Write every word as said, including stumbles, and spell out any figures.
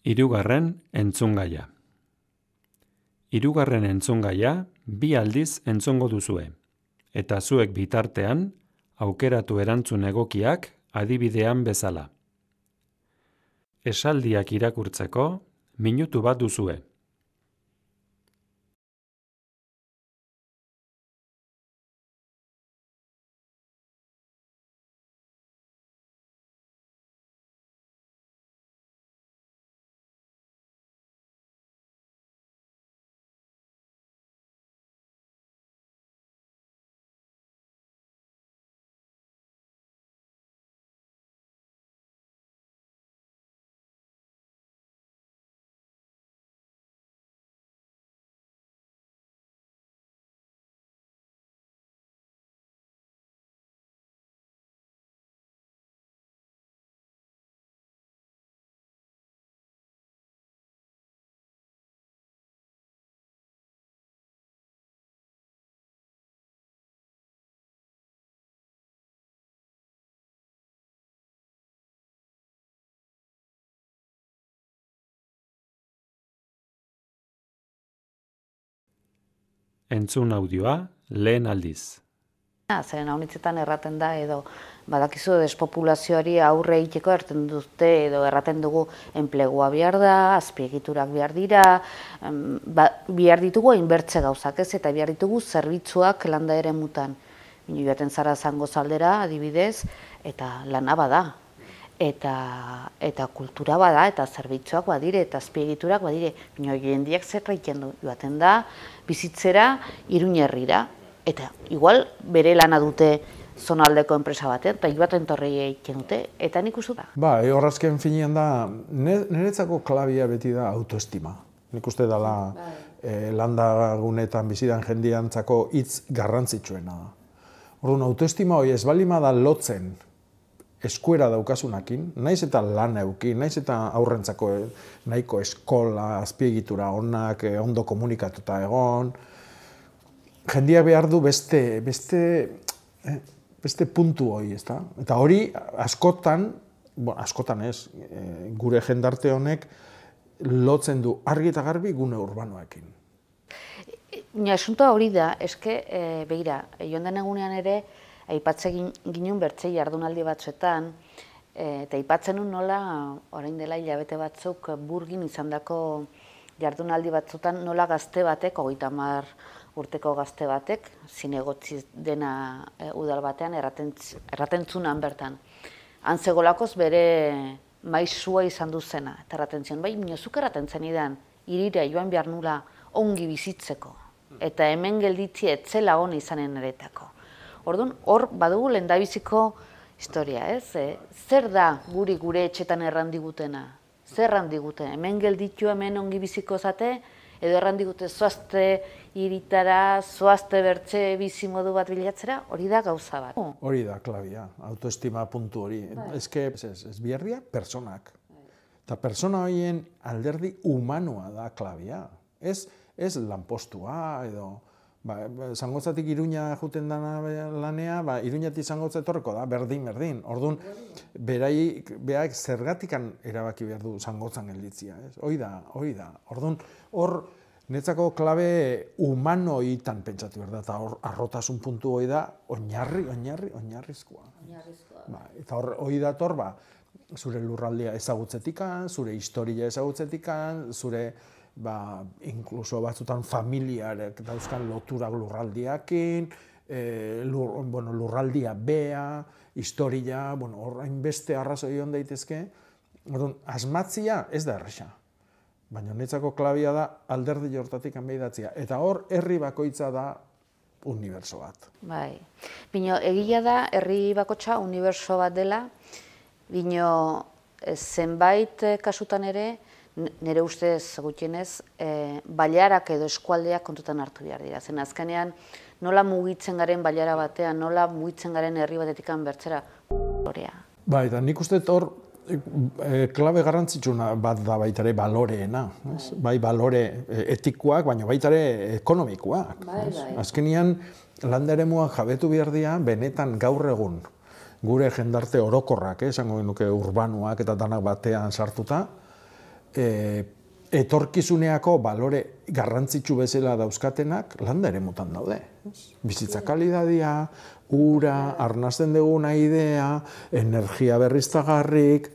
Hirugarren entzungaia. Hirugarren entzungaia bi aldiz entzungo duzue, eta zuek bitartean aukeratu erantzun egokiak adibidean bezala. Esaldiak irakurtzeko minutu bat duzue. Entzun audioa lehen aldiz. Zeren haunitzetan erraten da edo badakizu despopulazioari aurre egiteko erten dute edo erraten dugu enplegua behar da, azpiegiturak behar dira, ba, behar ditugu hainbertze gauzak ez, eta behar ditugu zerbitzuak landa ere mutan. Bino joaten zara zango zaldera, adibidez, eta lana bada. Eta, eta kultura bada, eta zerbitzuak badire, eta azpiegiturak badire. Bino jendiak zerra egiten du, joaten da, bizitzera, Iruñerrira. Eta igual bere lana dute zonaldeko enpresa batean, eta joaten torrei egiten dute, eta nik uste da. Ba, horrazken finean da, niretzako klabia beti da autoestima. Nik uste dela eh, landagunetan bizidan jendiantzako hitz garrantzitsuena da. Orduan, autoestima hori ez balima da lotzen eskuera daukasunakin, naiz eta lan eukin, naiz eta aurrentzako nahiko eskola, azpiegitura onak, ondo komunikatuta egon, jendiak behar du beste, beste, eh, beste puntu hori, ezta? Eta hori askotan, bon, askotan ez, eh, gure jendarte honek lotzen du argi eta garbi gune urbanoekin. Baina asuntoa hori da, eske, e, begira, joan den egunean ere, aipatzen ginen bertzei jardunaldi batzuetan, e, eta aipatzen nun nola, orain dela hilabete batzuk, Burgin izandako jardunaldi batzuetan nola gazte batek, hogeita hamar urteko gazte batek, zinegotzi dena e, udal batean, erratentzunan bertan. Antzegolakoz bere maizua izan duzena, eta erratentzen, bai, minozuk erratentzen idan, irira joan behar nula ongi bizitzeko, eta hemen gelditzi etzela hona izanen eretako. Orduan, hor badugu lehendabiziko historia, ez? E, zer da guri gure etxetan errandigutena? Zer errandigute? Hemen gelditu hemen ongi biziko zate, edo errandigute zoazte iritara, zoazte bertze bizi modu bat bilatzera, hori da gauza bat. Hori da klabia, autoestima puntu hori. Ez que, ez, ez biherria, personak. Eta persona horien alderdi humanoa da klabia. Ez, ez lanpostua edo... Ba, Zangotzatik Iruña juten dana lanea, ba, Iruñatik Zangotza etorreko da, berdin, berdin. Orduan, berai, behaik zergatikan erabaki behar du Zangotzan gelditzia. Hoi da, hoi da. Orduan, hor, netzako klabe humanoitan pentsatu behar da, eta hor, arrotasun puntu hoi da, oinarri, oinarri, oinarrizkoa. Oinarrizkoa. Ba, eta hor, hoi dator, ba, zure lurraldea ezagutzetikan, zure historia ezagutzetikan, zure... Ba, inkluso batzutan familiarek dauzkan loturak lurraldiakin, e, lur, bueno, lurraldia bea, historia, bueno, horrein beste arrazoi hon daitezke. Orduan, asmatzia ez da erresa, baina netzako klabia da alderdi hortatik hanbeidatzia. Eta hor, herri bakoitza da uniberso bat. Bai, bino, egia da, herri bakotxa uniberso bat dela, bino, zenbait kasutan ere, nire ustez gutienez, e, bailarak edo eskualdeak kontutan hartu behar dira. Zen azkenean, nola mugitzen garen bailara batean, nola mugitzen garen herri batetikan bertzera, balorea. Ba, eta nik uste hor, e, klabe garrantzitsuna bat da baitare baloreena. Ez? Bai balore etikoak, baina baitare ekonomikoak. Bai, bai. Azkenean, landaremuak jabetu behar dira, benetan gaur egun, gure jendarte orokorrak, esango nuke urbanoak eta danak batean sartuta, e, etorkizuneako balore garrantzitsu bezala dauzkatenak landa ere mutan daude. Bizitza kalidadia, ura, arnasten duguna idea, energia berriztagarrik,